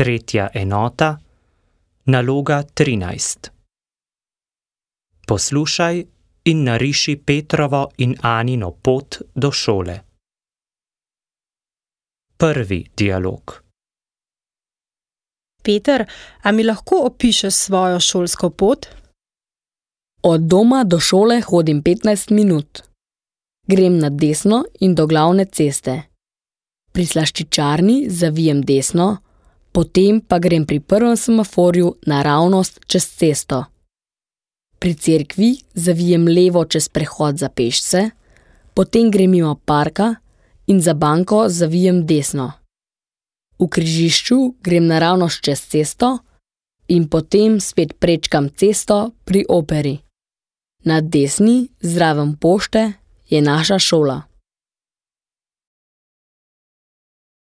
Tretja enota, naloga 13. Poslušaj in nariši Petrovo in Anino pot do šole. Prvi dialog. Peter, a mi lahko opišeš svojo šolsko pot? Od doma do šole hodim 15 minut. Grem na desno in do glavne ceste. Pri slaščičarni zavijem desno, potem pa grem pri prvem semaforju naravnost čez cesto. Pri cerkvi zavijem levo čez prehod za pešce, potem grem mimo parka in za banko zavijem desno. V križišču grem naravnost čez cesto in potem spet prečkam cesto pri operi. Na desni, zraven pošte, je naša šola.